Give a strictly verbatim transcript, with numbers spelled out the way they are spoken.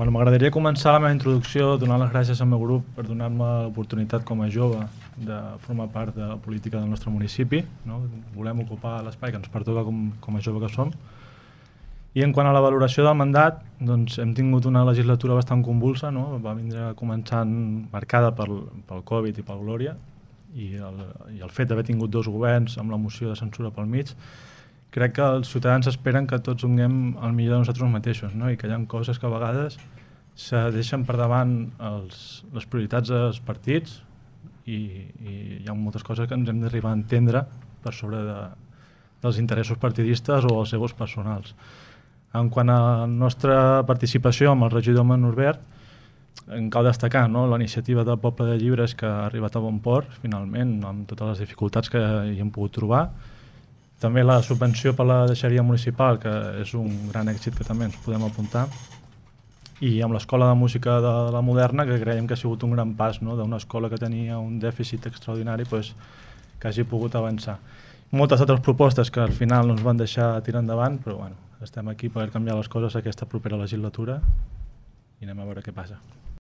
Bueno, m'agradaria començar la meva introducció donant les gràcies al meu grup per donar-me l'oportunitat com a jove de formar part de la política del nostre municipi, no? Volem ocupar l'espai que ens pertoca com, com a jove que som. I en quant a la valoració del mandat, doncs hem tingut una legislatura bastant convulsa, no? Va vindre començant marcada pel, pel Covid i pel Glòria, i el, i el fet d'haver tingut dos governs amb la moció de censura pel mig. Crec que els ciutadans esperen que tots donem el millor de nosaltres mateixos, no? I que hi ha coses que a vegades se deixen per davant els, les prioritats dels partits i, i hi ha moltes coses que ens hem d'arribar a entendre per sobre de, dels interessos partidistes o els egos personals. En quant a la nostra participació amb el regidor Norbert, en cal destacar, no? La iniciativa del Poble de Llibres que ha arribat a bon port, finalment, amb totes les dificultats que hi hem pogut trobar. També la subvenció per la deixeria municipal, que és un gran èxit que també ens podem apuntar. I amb l'Escola de Música de la Moderna, que creiem que ha sigut un gran pas, no? D'una escola que tenia un dèficit extraordinari, pues, que hagi pogut avançar. Moltes altres propostes que al final no ens van deixar tirar endavant, però bueno, estem aquí per canviar les coses aquesta propera legislatura i anem a veure què passa.